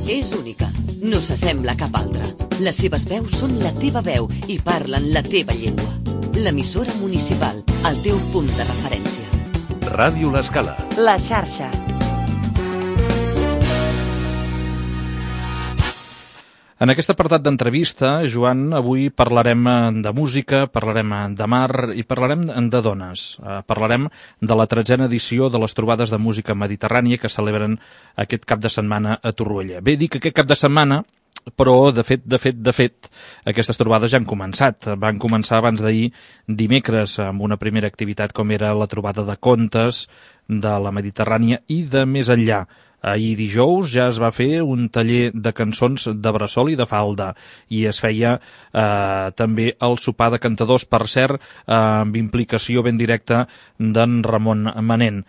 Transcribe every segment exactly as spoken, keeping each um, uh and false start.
És única, no s'assembla a cap altra. Les seves veus són la teva veu i parlen la teva llengua. L'emissora municipal, el teu punt de referència. Ràdio L'Escala. La xarxa. En aquest apartat d'entrevista, Joan, avui parlarem de música, parlarem de mar i parlarem de dones. Parlarem de la tretzena edició de les trobades de música mediterrània que celebren aquest cap de setmana a Torroella. Bé, dic aquest cap de setmana, però de fet, de fet, de fet, aquestes trobades ja han començat. Van començar abans d'ahir dimecres amb una primera activitat com era la trobada de contes de la Mediterrània i de més enllà. Ahir dijous ja es va fer un taller de cançons de bressol i de falda i es feia eh, també el sopar de cantadors, per cert, eh, amb implicació ben directa d'en Ramon Manent.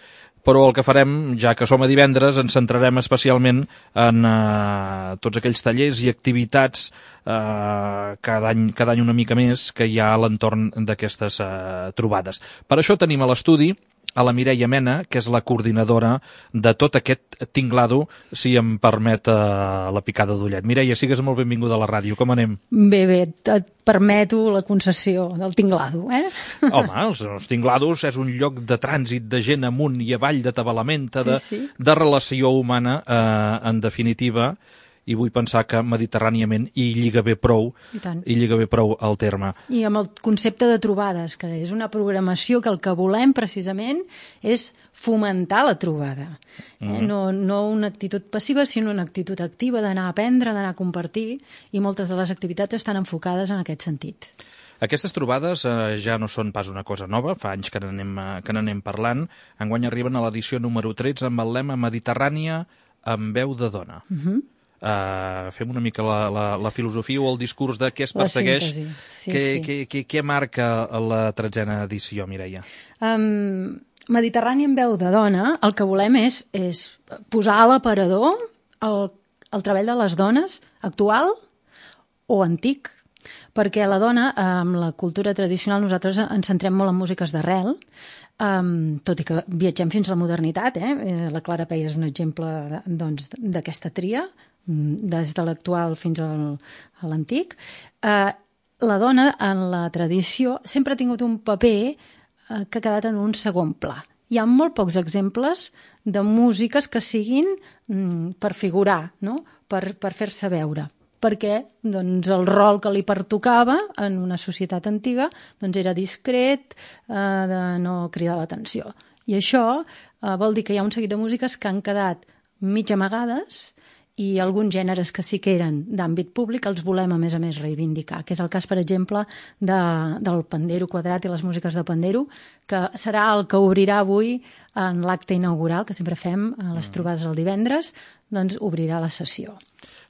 Però el que farem, ja que som a divendres, ens centrarem especialment en eh, tots aquells tallers i activitats eh, cada any, cada any una mica més que hi ha a l'entorn d'aquestes eh, trobades. Per això tenim a l'estudi a la Mireia Mena, que és la coordinadora de tot aquest tinglado, si em permet uh, la picada d'ullet. Mireia, sigues molt benvinguda a la ràdio. Com anem? Bé, bé, et permeto la concessió del tinglado, eh? Home, els, els tinglados és un lloc de trànsit de gent amunt i avall, de tabalamenta, de, sí, sí. de relació humana, eh, en definitiva, i vull pensar que mediterràniament hi lliga bé prou, I tant. hi lliga bé prou el terme. I amb el concepte de trobades, que és una programació que el que volem precisament és fomentar la trobada. Mm. Eh? No, no una actitud passiva, sinó una actitud activa d'anar a aprendre, d'anar a compartir, i moltes de les activitats estan enfocades en aquest sentit. Aquestes trobades eh, ja no són pas una cosa nova, fa anys que n'anem que n'anem parlant. Enguany arriben a l'edició número tretze amb el lema Mediterrània amb veu de dona. Mhm. Uh Uh, fem una mica la, la, la filosofia o el discurs de què es persegueix, sí, què, sí. Què, què, què marca la tretzena edició, Mireia? Um, Mediterrània en veu de dona, el que volem és, és posar a l'aparador el, el treball de les dones actual o antic, perquè la dona, amb la cultura tradicional, nosaltres ens centrem molt en músiques d'arrel, Um, tot i que viatgem fins a la modernitat, eh? La Clara Peia és un exemple doncs, d'aquesta tria, des de l'actual fins al, a l'antic. Uh, la dona, en la tradició, sempre ha tingut un paper uh, que ha quedat en un segon pla. Hi ha molt pocs exemples de músiques que siguin um, per figurar, no? per, per fer-se veure, perquè doncs, el rol que li pertocava en una societat antiga doncs, era discret, eh, de no cridar l'atenció. I això eh, vol dir que hi ha un seguit de músiques que han quedat mig amagades i alguns gèneres que sí que eren d'àmbit públic els volem, a més a més, reivindicar, que és el cas, per exemple, de, del pandero quadrat i les músiques de pandero, que serà el que obrirà avui en l'acte inaugural, que sempre fem a les trobades el divendres, doncs obrirà la sessió.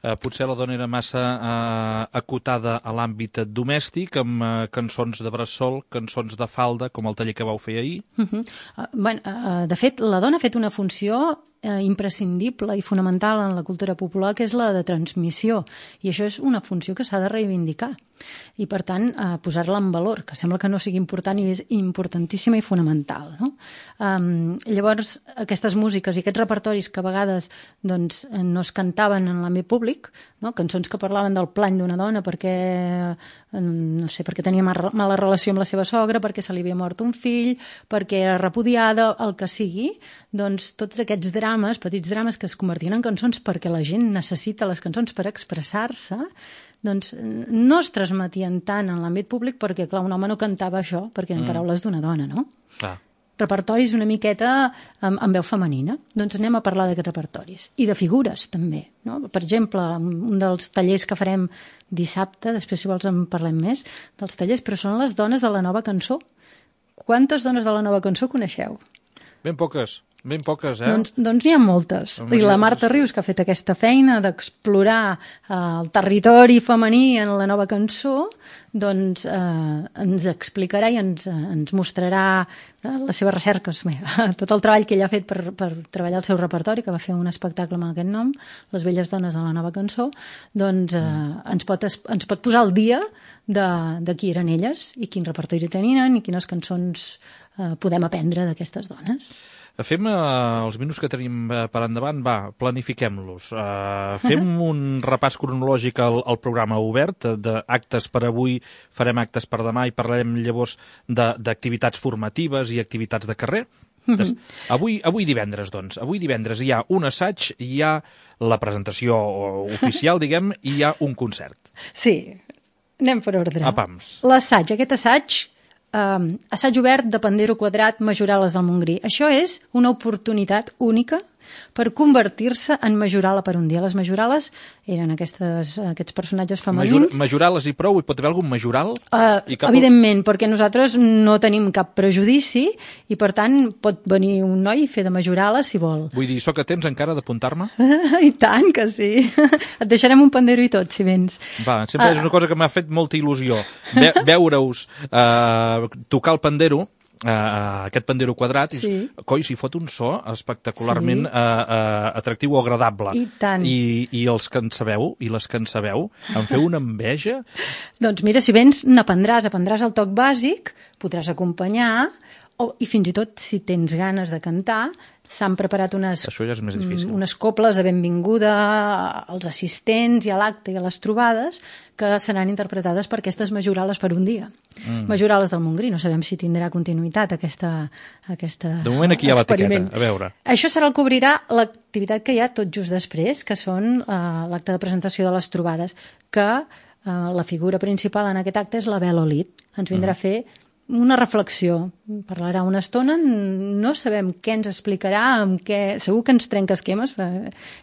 Eh, potser la dona era massa eh, acotada a l'àmbit domèstic, amb eh, cançons de bressol, cançons de falda, com el taller que vau fer ahir. Uh -huh. uh, bueno, uh, de fet, la dona ha fet una funció eh, imprescindible i fonamental en la cultura popular, que és la de transmissió. I això és una funció que s'ha de reivindicar. I, per tant, eh, posar-la en valor, que sembla que no sigui important i és importantíssima i fonamental. No? Um, llavors, aquestes músiques i aquests repertoris que a vegades doncs, no es cantaven en l'àmbit públic, no? Cançons que parlaven del plany d'una dona perquè, no sé, perquè tenia mala relació amb la seva sogra, perquè se li havia mort un fill, perquè era repudiada, el que sigui, doncs tots aquests drames, petits drames que es convertien en cançons perquè la gent necessita les cançons per expressar-se, doncs no es transmetien tant en l'àmbit públic perquè, clar, un home no cantava això perquè eren mm. paraules d'una dona, no? Clar. Repertoris una miqueta amb, amb veu femenina. Doncs anem a parlar d'aquests repertoris. I de figures, també. No? Per exemple, un dels tallers que farem dissabte, després si vols en parlem més, dels tallers, però són les dones de la nova cançó. Quantes dones de la nova cançó coneixeu? Ben poques. Ben poques, eh? Doncs, doncs n'hi ha moltes. I la Marta Rius, que ha fet aquesta feina d'explorar eh, el territori femení en la nova cançó, doncs eh, ens explicarà i ens, ens mostrarà eh, les seves recerques, bé, tot el treball que ella ha fet per, per treballar el seu repertori, que va fer un espectacle amb aquest nom, Les velles dones de la nova cançó, doncs eh, ens, pot, ens pot posar al dia de, de qui eren elles i quin repertori tenien i quines cançons eh, podem aprendre d'aquestes dones. fem uh, els minuts que tenim uh, per endavant, va, planifiquem-los. Uh, fem un repàs cronològic al, al programa obert, d'actes per avui, farem actes per demà i parlarem llavors d'activitats formatives i activitats de carrer. Des, avui, avui divendres, doncs. Avui divendres hi ha un assaig, hi ha la presentació oficial, diguem, i hi ha un concert. Sí, anem per ordre. A pams. L'assaig, aquest assaig, eh, assaig obert de Pandero Quadrat, Majorales del Montgrí. Això és una oportunitat única per convertir-se en majorala per un dia. Les majorales eren aquestes, aquests personatges femenins. Major, majorales i prou? Hi pot haver algun majoral? Uh, I cap... Evidentment, perquè nosaltres no tenim cap prejudici i, per tant, pot venir un noi i fer de majorala, si vol. Vull dir, sóc a temps encara d'apuntar-me? I tant que sí. Et deixarem un pandero i tot, si vens. Va, sempre uh... és una cosa que m'ha fet molta il·lusió. Ve veure-us uh, tocar el pandero, Uh, aquest pandero quadrat, i, sí. coi, s'hi fot un so espectacularment sí. uh, uh, atractiu o agradable. I tant. I, i els que en sabeu, i les que en sabeu, em feu una enveja? Doncs mira, si vens, n'aprendràs, aprendràs el toc bàsic, podràs acompanyar, o, i fins i tot, si tens ganes de cantar, s'han preparat unes, Això ja és més difícil. unes coples de benvinguda als assistents i a l'acte i a les trobades que seran interpretades per aquestes majorales per un dia. Mm. Majorales del Montgrí, no sabem si tindrà continuïtat aquesta, aquesta De moment aquí hi ha experiment. l'etiqueta, a veure. Això serà el que obrirà l'activitat que hi ha tot just després, que són uh, l'acte de presentació de les trobades, que uh, la figura principal en aquest acte és la Bel Olid. Ens vindrà mm. a fer una reflexió, parlarà una estona, no sabem què ens explicarà, amb què... segur que ens trenca esquemes,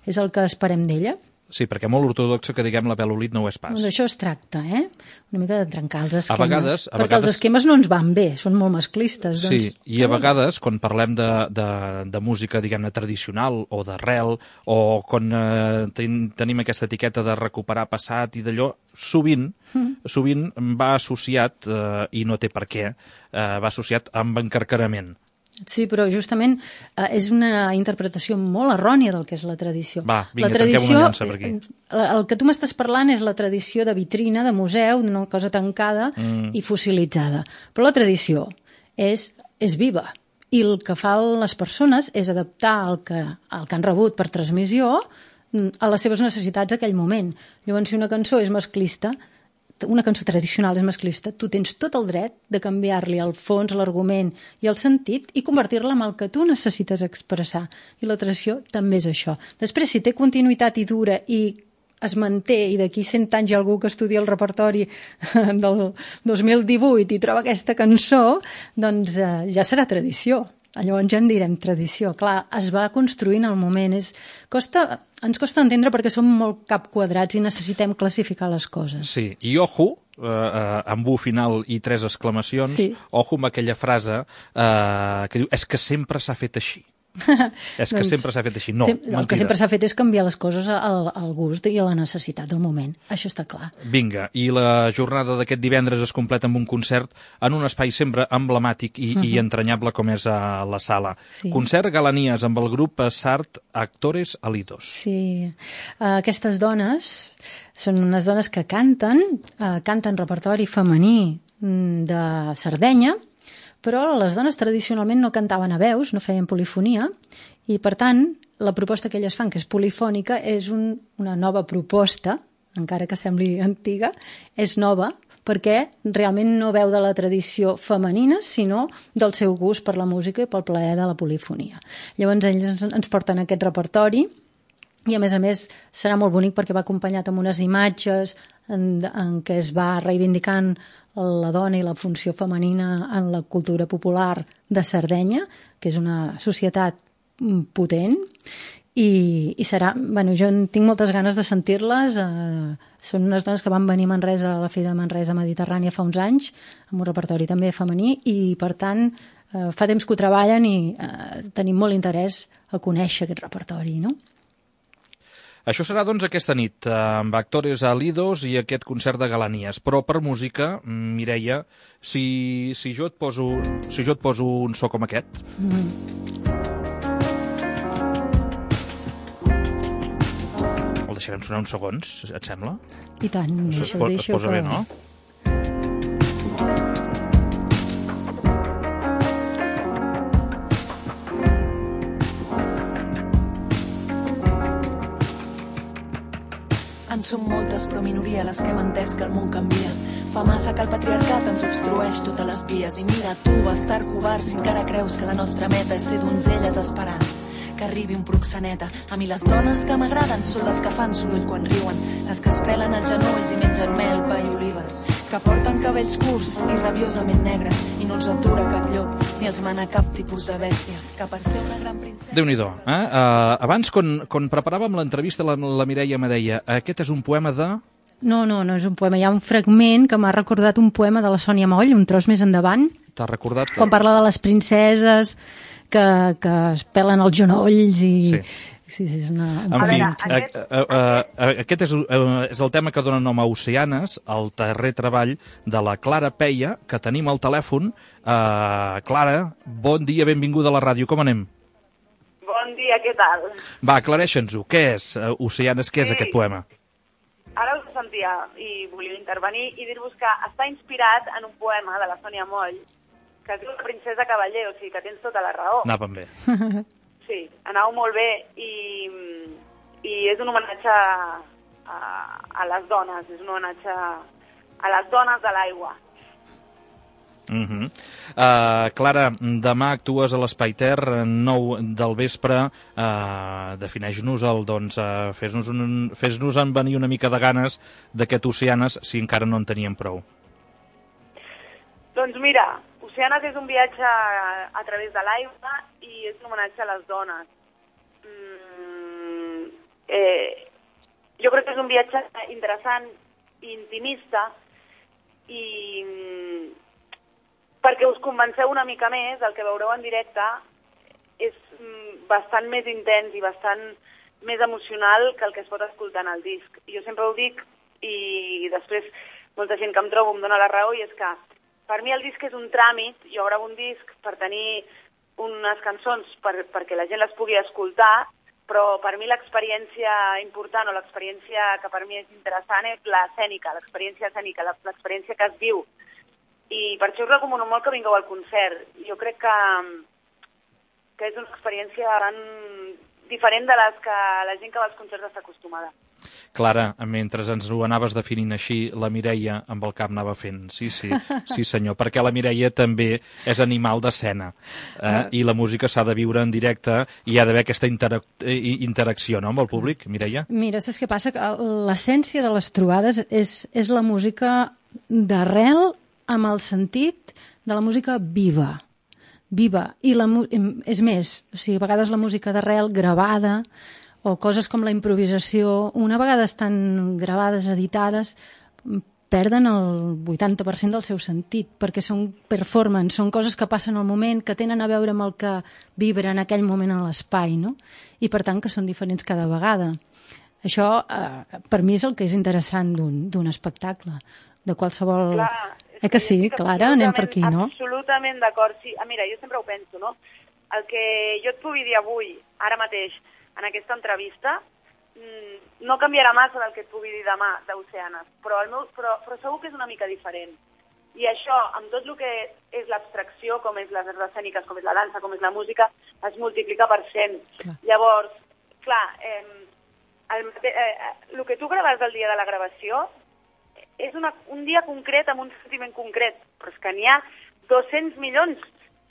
és el que esperem d'ella. Sí, perquè molt ortodoxa que diguem la Bel Olid no ho és pas. Doncs això es tracta, eh? Una mica de trencar els esquemes. A vegades, a perquè vegades... els esquemes no ens van bé, són molt masclistes. Doncs... Sí, i a vegades, quan parlem de, de, de música, diguem-ne, tradicional o d'arrel, o quan eh, ten, tenim aquesta etiqueta de recuperar passat i d'allò, sovint, mm. sovint va associat, eh, i no té per què, eh, va associat amb encarcarament. Sí, però justament eh, és una interpretació molt errònia del que és la tradició. Va, vinga, la tradició, una llança per aquí. El que tu m'estàs parlant és la tradició de vitrina, de museu, d'una cosa tancada mm. i fossilitzada. Però la tradició és, és viva. I el que fan les persones és adaptar el que, el que han rebut per transmissió a les seves necessitats d'aquell moment. Llavors, si una cançó és masclista, una cançó tradicional és masclista, tu tens tot el dret de canviar-li el fons, l'argument i el sentit i convertir-la en el que tu necessites expressar. I la tradició també és això. Després, si té continuïtat i dura i es manté i d'aquí cent anys hi ha algú que estudia el repertori del dos mil divuit i troba aquesta cançó, doncs eh, ja serà tradició. Llavors ja en direm tradició. Clar, es va construint al moment. És, costa, ens costa entendre perquè som molt cap quadrats i necessitem classificar les coses. Sí, i ojo, eh, eh, amb u final i tres exclamacions, sí. Ojo amb aquella frase eh, que diu, és que sempre s'ha fet així. És que doncs, sempre s'ha fet així. No, sem el que sempre s'ha fet és canviar les coses al, al gust i a la necessitat del moment. Això està clar. Vinga, i la jornada d'aquest divendres es completa amb un concert en un espai sempre emblemàtic i, uh -huh. i entranyable com és a la sala. Sí. Concert Galanies amb el grup Sart Actores Alidos. Sí, uh, aquestes dones són unes dones que canten, uh, canten repertori femení de Sardenya, però les dones tradicionalment no cantaven a veus, no feien polifonia, i per tant la proposta que elles fan, que és polifònica, és un, una nova proposta, encara que sembli antiga, és nova, perquè realment no veu de la tradició femenina, sinó del seu gust per la música i pel plaer de la polifonia. Llavors ells ens porten aquest repertori, i a més a més serà molt bonic perquè va acompanyat amb unes imatges en, en què es va reivindicant la dona i la funció femenina en la cultura popular de Sardenya, que és una societat potent, i, i serà, bueno, jo tinc moltes ganes de sentir-les. Eh, són unes dones que van venir a Manresa, a la Fira de Manresa Mediterrània fa uns anys, amb un repertori també femení, i per tant eh, fa temps que ho treballen i eh, tenim molt interès a conèixer aquest repertori, no? Això serà, doncs, aquesta nit, amb Actores Alidos i aquest concert de Galanies. Però per música, Mireia, si, si, jo, et poso, si jo et poso un so com aquest... Mm. El deixarem sonar uns segons, et sembla? I tant, això deixa, es, po deixa es posa que... bé, no? En som moltes, però minoria les que hem entès que el món canvia. Fa massa que el patriarcat ens obstrueix totes les vies. I mira tu, bastard covard, si encara creus que la nostra meta és ser donzelles esperant que arribi un proxeneta. A mi les dones que m'agraden són les que fan soroll quan riuen, les que es pelen els genolls i mengen mel, pa i olives, que porten cabells curts i rabiosament negres i no els atura cap llop ni els mana cap tipus de bèstia, que per ser una gran princesa... Déu-n'hi-do, eh? Uh, abans, quan, quan preparàvem l'entrevista, la, la Mireia me deia, aquest és un poema de... No, no, no és un poema. Hi ha un fragment que m'ha recordat un poema de la Sònia Moll, un tros més endavant. T'ha recordat? Que... Quan parla de les princeses que, que es pelen els genolls i... Sí. Sí, sí, és una... En fi, aquest... A, a, a, aquest és, a, és el tema que dona nom a Oceanes, el darrer treball de la Clara Peia, que tenim al telèfon. Uh, Clara, bon dia, benvinguda a la ràdio, com anem? Bon dia, què tal? Va, aclareixen-nos-ho, què és uh, Oceanes, què és sí. aquest poema? Ara us sentia i volia intervenir i dir-vos que està inspirat en un poema de la Sònia Moll que es diu La princesa cavaller, o sigui que tens tota la raó. Anàvem bé. Sí, anàveu molt bé i, i és un homenatge a, a, a les dones, és un homenatge a les dones de l'aigua. Uh -huh. uh, Clara, demà actues a l'Espai Ter, nou del vespre. Uh, defineix-nos el, doncs, uh, fes-nos un, fes-nos en venir una mica de ganes d'aquest Oceanes, si encara no en teníem prou. Doncs mira, Oceanes és un viatge a, a través de l'aigua i és un homenatge a les dones. Mm, eh, jo crec que és un viatge interessant i intimista i perquè us convenceu una mica més, el que veureu en directe és bastant més intens i bastant més emocional que el que es pot escoltar en el disc. Jo sempre ho dic i després molta gent que em trobo em dona la raó i és que per mi el disc és un tràmit, jo gravo un disc per tenir unes cançons per, perquè la gent les pugui escoltar, però per mi l'experiència important o l'experiència que per mi és interessant és l'escènica, l'experiència escènica, l'experiència que es viu. I per això us recomano molt que vingueu al concert. Jo crec que, que és una experiència tan diferent de les que la gent que va als concerts està acostumada. Clara, mentre ens ho anaves definint així, la Mireia amb el cap anava fent. Sí, sí, sí senyor, perquè la Mireia també és animal d'escena eh? I la música s'ha de viure en directe i hi ha d'haver aquesta interac interacció, no?, amb el públic, Mireia? Mira, saps què passa? L'essència de les trobades és, és la música d'arrel amb el sentit de la música viva. Viva. I la, és més, o sigui, a vegades la música d'arrel gravada o coses com la improvisació, una vegada estan gravades, editades, perden el vuitanta per cent del seu sentit, perquè són performance, són coses que passen al moment, que tenen a veure amb el que vibra en aquell moment a l'espai, no? I per tant que són diferents cada vegada. Això, eh, per mi, és el que és interessant d'un espectacle, de qualsevol... Clar, eh que sí, Clara? Anem per aquí, no? Absolutament d'acord, sí. Ah, mira, jo sempre ho penso, no? El que jo et pugui dir avui, ara mateix, en aquesta entrevista, no canviarà massa del que et pugui dir demà d'Oceanes, però, el meu, però, però segur que és una mica diferent. I això, amb tot el que és l'abstracció, com és les arts escèniques, com és la dansa, com és la música, es multiplica per cent. Clar. Llavors, clar, eh, el, eh, el que tu graves el dia de la gravació és una, un dia concret amb un sentiment concret, però és que n'hi ha dos-cents milions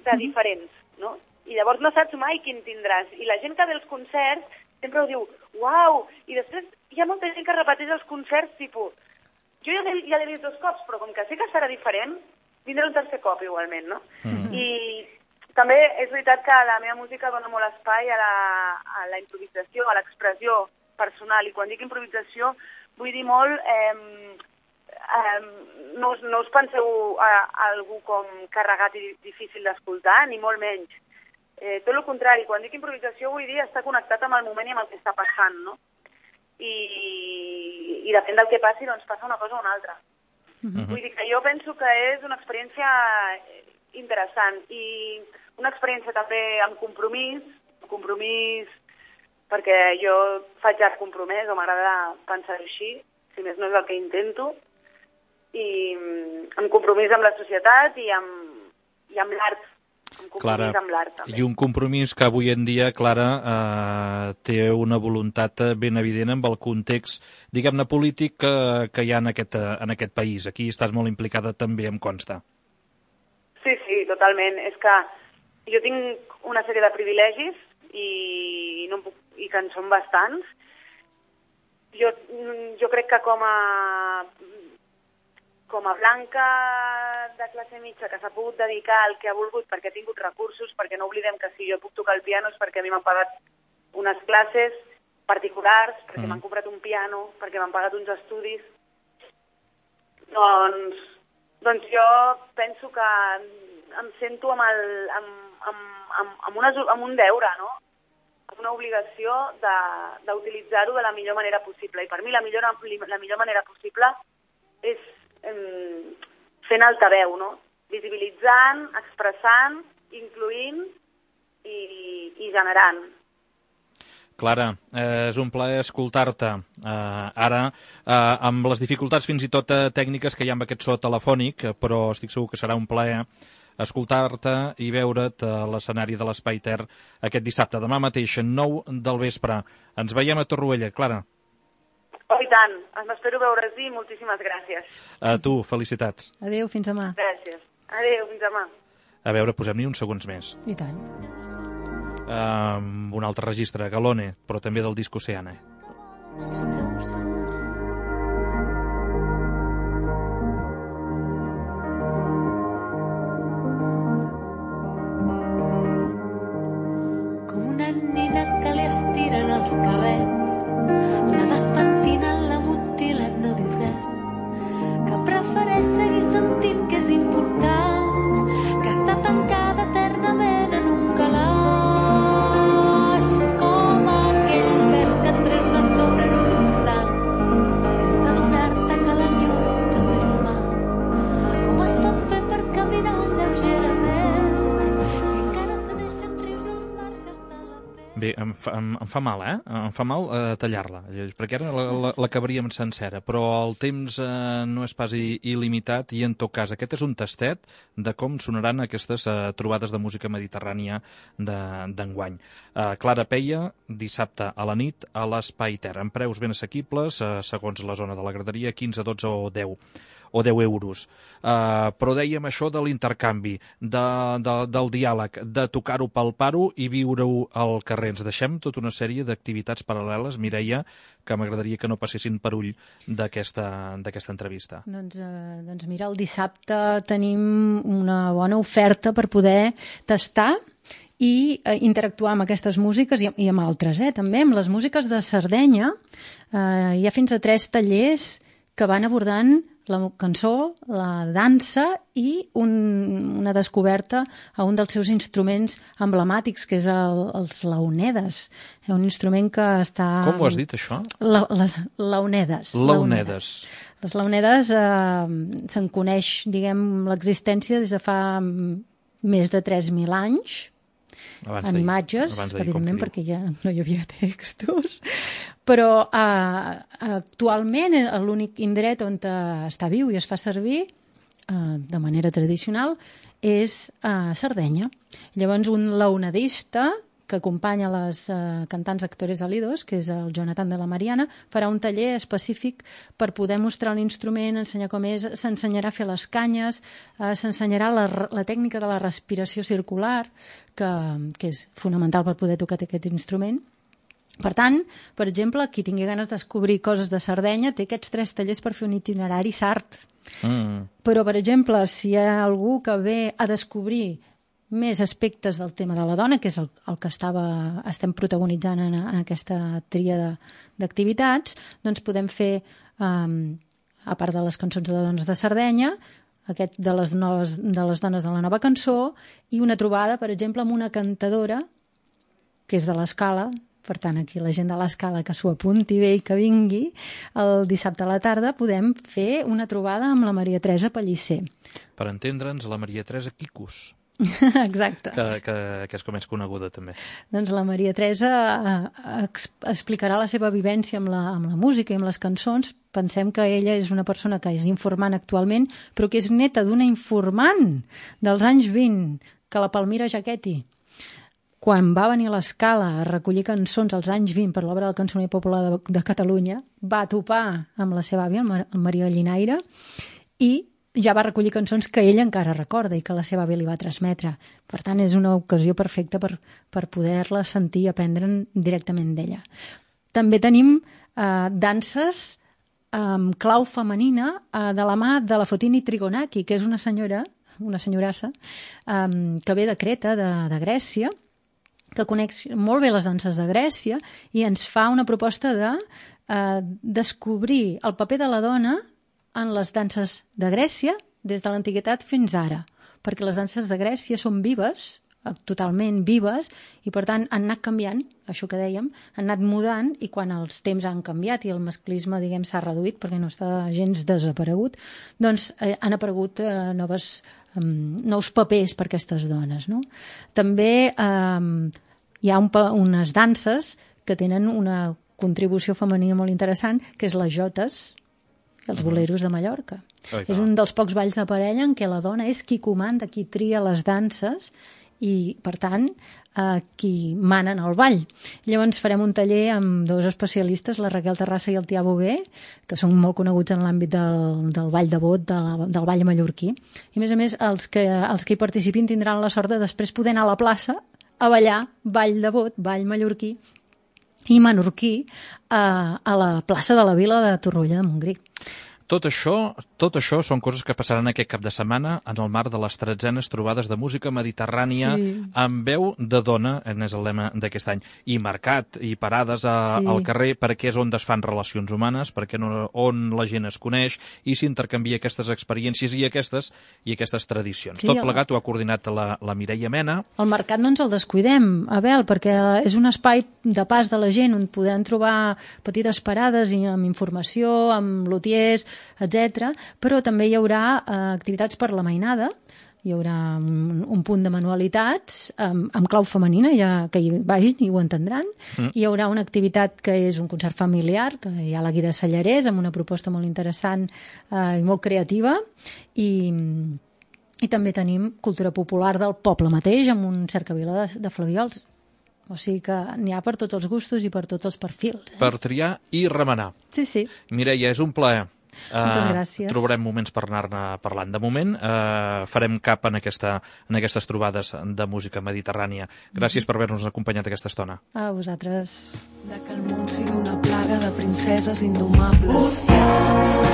de diferents, no? I llavors no saps mai quin tindràs. I la gent que ve als concerts sempre ho diu, uau, i després hi ha molta gent que repeteix els concerts, tipus, jo ja l'he ja vist dos cops, però com que sé que serà diferent, vindré un tercer cop igualment, no? Mm-hmm. I també és veritat que la meva música dona molt espai a la, a la improvisació, a l'expressió personal, i quan dic improvisació vull dir molt... Eh, Um, no, us, no us penseu a, a algú com carregat i difícil d'escoltar, ni molt menys. Eh, tot el contrari, quan dic improvisació vull dir estar connectat amb el moment i amb el que està passant, no? I, i depèn del que passi, doncs passa una cosa o una altra. Uh-huh. Vull dir que jo penso que és una experiència interessant i una experiència també amb compromís, compromís perquè jo faig art compromès, o m'agrada pensar així, si més no és el que intento, i amb compromís amb la societat i amb, i amb l'art. un compromís Clara, amb l'art també. I un compromís que avui en dia, Clara, eh, té una voluntat ben evident amb el context, diguem-ne, polític que, que hi ha en aquest, en aquest país. Aquí estàs molt implicada també, em consta. Sí, sí, totalment. És que jo tinc una sèrie de privilegis i, no puc, i que en són bastants. Jo, jo crec que com a com a blanca de classe mitja que s'ha pogut dedicar al que ha volgut perquè ha tingut recursos, perquè no oblidem que si jo puc tocar el piano és perquè a mi m'han pagat unes classes particulars, perquè mm. m'han comprat un piano, perquè m'han pagat uns estudis, doncs, doncs jo penso que em sento amb, el, amb, amb, amb, amb, una, amb un deure, no? Amb una obligació d'utilitzar-ho de, de la millor manera possible. I per mi la millor, la millor manera possible és fent altaveu, no? Visibilitzant, expressant, incloent i, i generant. Clara, eh, és un plaer escoltar-te. Eh, ara, eh, amb les dificultats fins i tot eh, tècniques que hi ha amb aquest so telefònic, però estic segur que serà un plaer escoltar-te i veure't a l'escenari de l'Espai Ter aquest dissabte, demà mateix, nou del vespre. Ens veiem a Torroella, Clara. Oh, i tant. M'espero veure's-hi. Moltíssimes gràcies. A tu, felicitats. Adéu, fins demà. Gràcies. Adéu, fins demà. A veure, posem-hi uns segons més. I tant. Uh, un altre registre, Galone, però també del disc Oceana. Com una nina que li estiren els cabells, la despentinen, la mutilen, no dir res, que prefereix seguir sentint que és important, que està tancada eternament en un calaix, com aquell pes que et treus de sobre en un instant, sense adonar-te que l'enyor també fa mal. Com es pot fer per caminar lleugerament, si encara te neixen rius als marges de la pell? Bé, em fa, em, em fa mal, eh? Em fa mal eh, tallar-la, perquè ara l'acabaríem sencera, però el temps eh, no és pas il·limitat i, en tot cas, aquest és un tastet de com sonaran aquestes eh, trobades de música mediterrània d'enguany. Eh, Clara Peia, dissabte a la nit a l'Espai Ter, amb preus ben assequibles, eh, segons la zona de la graderia, quinze, dotze o deu o deu euros. Uh, però dèiem això de l'intercanvi, de, de, del diàleg, de tocar-ho, palpar-ho i viure-ho al carrer. Ens deixem tota una sèrie d'activitats paral·leles, Mireia, que m'agradaria que no passessin per ull d'aquesta entrevista. Doncs, eh, doncs mira, el dissabte tenim una bona oferta per poder tastar i eh, interactuar amb aquestes músiques i, i amb altres, eh, també amb les músiques de Sardenya. Eh, hi ha fins a tres tallers que van abordant la cançó, la dansa i un, una descoberta a un dels seus instruments emblemàtics, que és el, els laonedes. Un instrument que està... Com ho has dit, això? La, les laonedes. Laonedes. Les laonedes eh, se'n coneix, diguem, l'existència des de fa més de tres mil anys, abans en imatges, evidentment, perquè ja no hi havia textos, però eh, actualment l'únic indret on està viu i es fa servir eh, de manera tradicional és a Sardenya. Llavors, un laonedista que acompanya les eh, cantants actores alidos, que és el Jonathan de la Mariana, farà un taller específic per poder mostrar l'instrument, ensenyar com és, s'ensenyarà a fer les canyes, eh, s'ensenyarà la, la tècnica de la respiració circular, que, que és fonamental per poder tocar aquest instrument. Per tant, per exemple, qui tingui ganes de descobrir coses de Sardenya té aquests tres tallers per fer un itinerari sard. Mm. Però, per exemple, si hi ha algú que ve a descobrir més aspectes del tema de la dona, que és el, el que estava, estem protagonitzant en, en aquesta tria d'activitats, doncs podem fer, um, a part de les cançons de dones de Sardenya, aquest de les, noves, de les dones de la nova cançó, i una trobada, per exemple, amb una cantadora, que és de l'Escala. Per tant, aquí la gent de l'Escala que s'ho apunti bé i que vingui, el dissabte a la tarda podem fer una trobada amb la Maria Teresa Pellicer. Per entendre'ns, la Maria Teresa Quicus. Exacte. Que, que, que és com és coneguda, també. Doncs la Maria Teresa eh, explicarà la seva vivència amb la, amb la música i amb les cançons. Pensem que ella és una persona que és informant actualment, però que és neta d'una informant dels anys vint, que la Palmira Jaquetti, quan va venir a l'Escala a recollir cançons als anys vint per l'obra del Cançoner Popular de, de Catalunya, va topar amb la seva àvia, el Maria Llinaire, i ja va recollir cançons que ella encara recorda i que la seva àvia li va transmetre. Per tant, és una ocasió perfecta per, per poder-la sentir i aprendre'n directament d'ella. També tenim eh, danses amb clau femenina eh, de la mà de la Fotini Trigonaki, que és una senyora, una senyorassa, eh, que ve de Creta, de, de Grècia, que coneix molt bé les danses de Grècia i ens fa una proposta de eh, descobrir el paper de la dona en les danses de Grècia des de l'antiguitat fins ara, perquè les danses de Grècia són vives, totalment vives, i per tant han anat canviant, això que dèiem, han anat mudant, i quan els temps han canviat i el masclisme, diguem, s'ha reduït perquè no està gens desaparegut, doncs eh, han aparegut eh, noves, eh, nous papers per aquestes dones, no? També eh, hi ha un, unes danses que tenen una contribució femenina molt interessant, que és les jotes, els boleros de Mallorca. Oi, és un dels pocs balls de parella en què la dona és qui comanda, qui tria les danses i, per tant, eh, qui mana en el ball. Llavors farem un taller amb dos especialistes, la Raquel Terrassa i el Tià Bové, que són molt coneguts en l'àmbit del, del ball de bot, de la, del ball mallorquí. I, a més a més, els que, els que hi participin tindran la sort de després poder anar a la plaça a ballar ball de bot, ball mallorquí, i menorquí a, a la plaça de la Vila de Torroella de Montgrí. Tot això, tot això són coses que passaran aquest cap de setmana en el marc de les tretzenes trobades de música mediterrània sí. amb veu de dona, és el lema d'aquest any, i mercat i parades a, sí. al carrer, perquè és on es fan relacions humanes, perquè no, on la gent es coneix i s'intercanvia aquestes experiències i aquestes i aquestes tradicions. Sí, tot plegat ho ha coordinat la, la Mireia Mena. El mercat no ens el descuidem, Abel, perquè és un espai de pas de la gent on podran trobar petites parades i amb informació, amb lutiers, etcètera, però també hi haurà eh, activitats per la mainada, hi haurà un, un punt de manualitats amb, amb clau femenina, ja que hi vagin i ho entendran. Mm. Hi haurà una activitat que és un concert familiar, que hi ha la Guida Sallarès, amb una proposta molt interessant eh, i molt creativa, i, i també tenim cultura popular del poble mateix, amb un cercavila de, de Flaviols. O sigui que n'hi ha per tots els gustos i per tots els perfils. Eh? Per triar i remenar. Sí, sí. Mireia, és un plaer. Moltes gràcies. Uh, trobarem moments per anar-ne parlant. De moment uh, farem cap en, aquesta, en aquestes trobades de música mediterrània. Gràcies mm-hmm. per haver-nos acompanyat aquesta estona. A vosaltres. De que el món sigui una plaga de princeses indomables. Oceana.